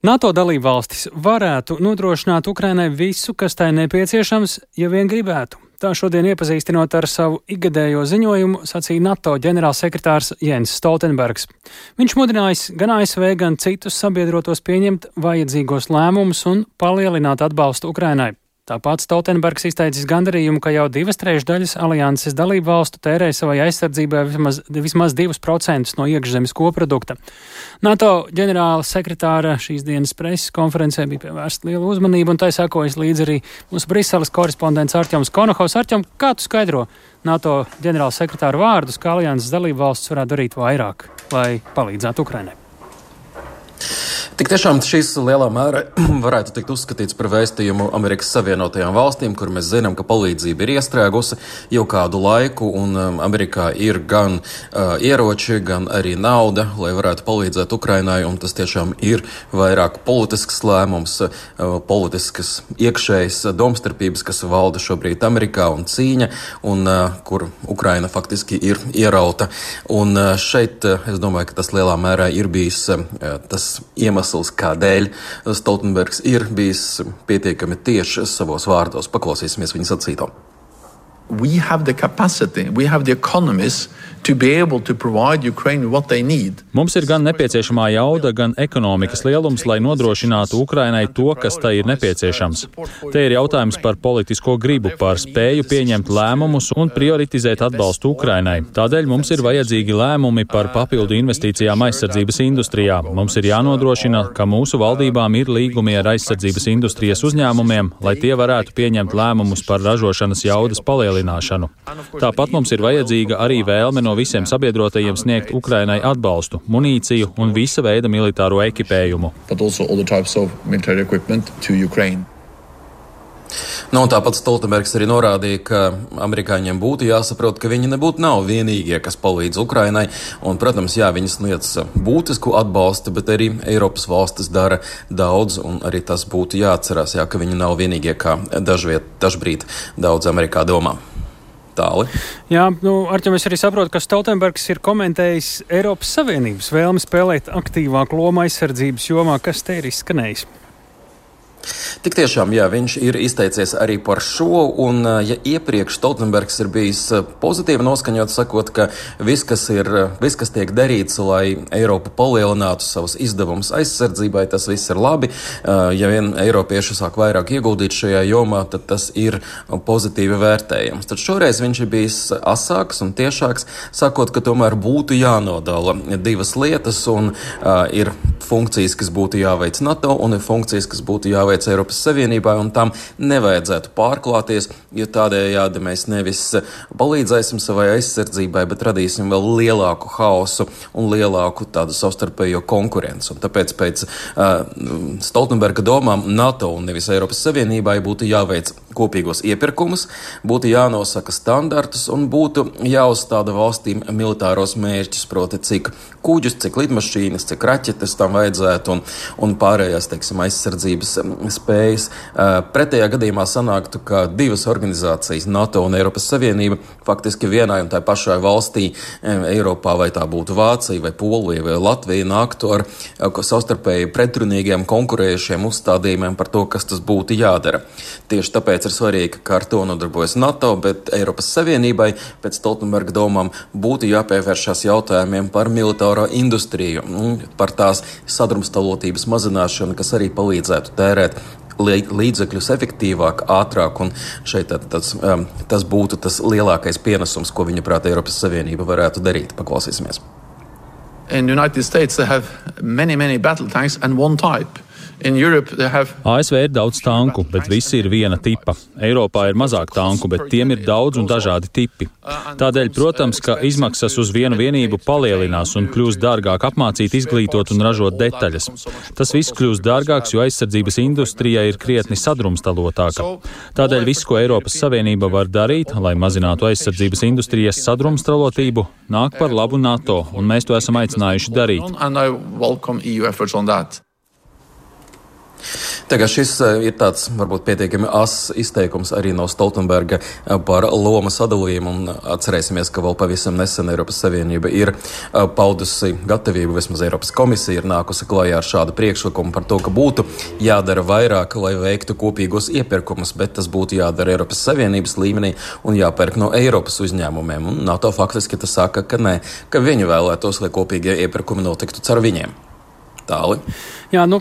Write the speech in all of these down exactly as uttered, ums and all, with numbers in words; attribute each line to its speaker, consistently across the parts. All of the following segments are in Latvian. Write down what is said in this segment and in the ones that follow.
Speaker 1: NATO dalībvalstis varētu nodrošināt Ukrainai visu, kas tai nepieciešams, ja vien gribētu. Tā šodien iepazīstinot ar savu ikgadējo ziņojumu, sacīja NATO ģenerālsekretārs Jens Stoltenbergs. Viņš mudinājis gan A S V, gan citus sabiedrotos pieņemt vajadzīgos lēmumus un palielināt atbalstu Ukrainai. Tāpat Stoltenbergs izteicis gandarījumu, ka jau divas trešdaļas alianses dalību valstu tērē savai aizsardzībai vismaz, vismaz divus procentus no iekšzemes koprodukta. NATO ģenerāla sekretāra šīs dienas preses konferencē bija pievērsta liela uzmanība, un tai sekojas līdz arī mūsu Briseles korespondents Artjoms Konohovs. Artjom, kā tu skaidro NATO ģenerāla sekretāra vārdus, kā alianses dalību valsts varētu darīt vairāk, lai palīdzētu Ukrainai?
Speaker 2: Tik tiešām šis lielā mērā varētu tikt uzskatīts par vēstījumu Amerikas Savienotajām valstīm, kur mēs zinām, ka palīdzība ir iestrēgusi jau kādu laiku, un um, Amerikā ir gan uh, ieroči, gan arī nauda, lai varētu palīdzēt Ukrainai, un tas tiešām ir vairāk politisks lēmums, uh, politiskas iekšējas domstarpības, kas valda šobrīd Amerikā, un cīņa, un uh, kur Ukraina faktiski ir ierauta. Un uh, šeit uh, es domāju, ka tas lielā mērā ir bijis uh, tas iemesls, kādēļ Stoltenbergs ir bijis pietiekami tieši savos vārdos. Paklausīsimies viņa sacīto.
Speaker 3: We have the capacity, we have the economies to be able to provide Ukraine what they need.
Speaker 4: Mums ir gan nepieciešamā jauda, gan ekonomikas lielums, lai nodrošinātu Ukrainai to, kas tai ir nepieciešams. Te ir jautājums par politisko gribu, par spēju pieņemt lēmumus un prioritizēt atbalstu Ukrainai. Tādēļ mums ir vajadzīgi lēmumi par papildu investīcijām aizsardzības industrijā. Mums ir jānodrošina, ka mūsu valdībām ir līgumi ar aizsardzības industrijas uzņēmumiem, lai tie varētu pieņemt lēmumus par ražošanas jaudas palielināšanu. Tāpat mums ir vajadzīga arī vēlme no visiem sabiedrotajiem sniegt Ukrainai atbalstu, munīciju un visa veida militāro ekipējumu.
Speaker 2: Nu, tāpat Stoltenbergs arī norādīja, ka amerikāņiem būtu jāsaprot, ka viņi nebūtu nav vienīgie, kas palīdz Ukrainai. Un, protams, jā, viņi sniedz būtisku atbalstu, bet arī Eiropas valstis dara daudz, un arī tas būtu jāatcerās, jā, ka viņi nav vienīgie, kā dažviet, dažbrīd daudz Amerikā domā. Tāli.
Speaker 1: Jā, nu, Arķem, es arī saprotu, ka Stoltenbergs ir komentējis Eiropas Savienības vēlmi spēlēt aktīvāku lomu aizsardzības jomā, kas te ir izskanējis.
Speaker 2: Tik tiešām, jā, viņš ir izteicies arī par šo, un ja iepriekš Stoltenbergs ir bijis pozitīvi noskaņots, sakot, ka viss, kas ir, viss, kas tiek darīts, lai Eiropa palielinātu savus izdevumus aizsardzībai, tas viss ir labi. Ja vien eiropieši sāk vairāk ieguldīt šajā jomā, tad tas ir pozitīvi vērtējams. Tad šoreiz viņš ir bijis asāks un tiešāks, sakot, ka tomēr būtu jānodala divas lietas, un uh, ir funkcijas, kas būtu jāveic NATO, un ir funkcijas, kas būtu jāveic Eiropas Savienībai, un tam nevajadzētu pārklāties, jo tādējādi mēs nevis palīdzēsim savai aizsardzībai, bet radīsim vēl lielāku haosu un lielāku tādu savstarpējo konkurenci. Un tāpēc pēc uh, Stoltenberga domām NATO un nevis Eiropas Savienībai būtu jāveic kopīgos iepirkumus, būtu jānosaka standartus un būtu jāuzstāda valstīm militāros mērķus, proti cik kuģus, cik lidmašīnas, cik raķetes tam vajadzētu un, un pārējās, teiksim, aizsardzības spējas. Pretējā gadījumā sanāktu, ka divas organizācijas, NATO un Eiropas Savienība, faktiski vienai un tai pašai valstī Eiropā, vai tā būtu Vācija, vai Polija, vai Latvija, nāktu ar savstarpēji pretrunīgiem konkurējušiem uzstādījumiem par to, kas tas būtu jādara. Tieši tāpēc ir svarīgi, ka ar to nodarbojas NATO, bet Eiropas Savienībai pēc Stoltenberga domām būtu jāpievēršās jautājumiem par militāro industriju, par tās sadrumstalotības mazināšanu, kas arī palīdzētu tērēt līdzekļus efektīvāk, ātrāk, un šeit tas, tas būtu tas lielākais pienesums, ko viņa prāt Eiropas Savienība varētu darīt. Paklausīsimies.
Speaker 3: In the United States they have many, many battle tanks and one type. Have...
Speaker 4: A S V ir daudz tanku, bet visi ir viena tipa. Eiropā ir mazāk tanku, bet tiem ir daudz un dažādi tipi. Tādēļ, protams, ka izmaksas uz vienu vienību palielinās un kļūs dārgāk apmācīt, izglītot un ražot detaļas. Tas viss kļūs dārgāks, jo aizsardzības industrijai ir krietni sadrumstalotāka. Tādēļ viss, ko Eiropas Savienība var darīt, lai mazinātu aizsardzības industrijas sadrumstalotību, nāk par labu NATO, un mēs to esam aicinājuši darīt.
Speaker 2: Tagad šis ir tāds varbūt pietiekami as izteikums arī no Stoltenberga par loma sadalījumu, un atcerēsimies, ka vēl pavisam nesen Eiropas Savienība ir paudusi gatavību, vismaz Eiropas komisija ir nākusi klājā ar šādu priekšlikumu par to, ka būtu jādara vairāk, lai veiktu kopīgos iepirkumus, bet tas būtu jādara Eiropas Savienības līmenī un jāpērk no Eiropas uzņēmumiem. Un NATO faktiski tas saka, ka nē, ka viņi vēlētos, lai kopīgie iepirkumi notiktu caur viņiem. Tāli.
Speaker 1: Jā, nu,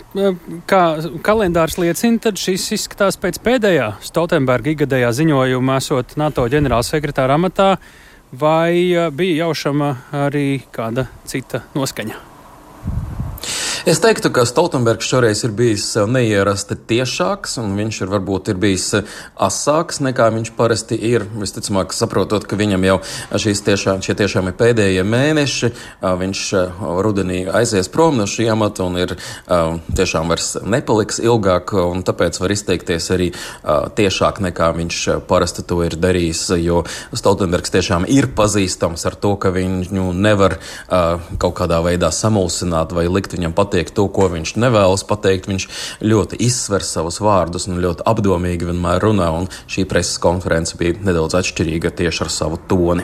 Speaker 1: kā kalendārs liecina, tad šis izskatās pēc pēdējā Stoltenberga ikgadējā ziņojuma esot NATO ģenerālsekretāra amatā, vai bija jaušama arī kāda cita noskaņa?
Speaker 2: Es teiktu, ka Stoltenbergs šoreiz ir bijis neierasti tiešāks, un viņš ir varbūt ir bijis asāks nekā viņš parasti ir. Visticamāk, saprotot, ka viņam jau šīs tiešām, šie tiešām ir pēdējie mēneši, viņš rudenī aizies prom no šī amata un ir tiešām vairs nepaliks ilgāk, un tāpēc var izteikties arī tiešāk nekā viņš parasti to ir darījis, jo Stoltenbergs tiešām ir pazīstams ar to, ka viņu nevar kaut kādā veidā samulsināt vai likt viņam pateikt to, ko viņš nevēlas pateikt. Viņš ļoti izsver savus vārdus un ļoti apdomīgi vienmēr runā, un šī preses konference bija nedaudz atšķirīga tieši ar savu toni.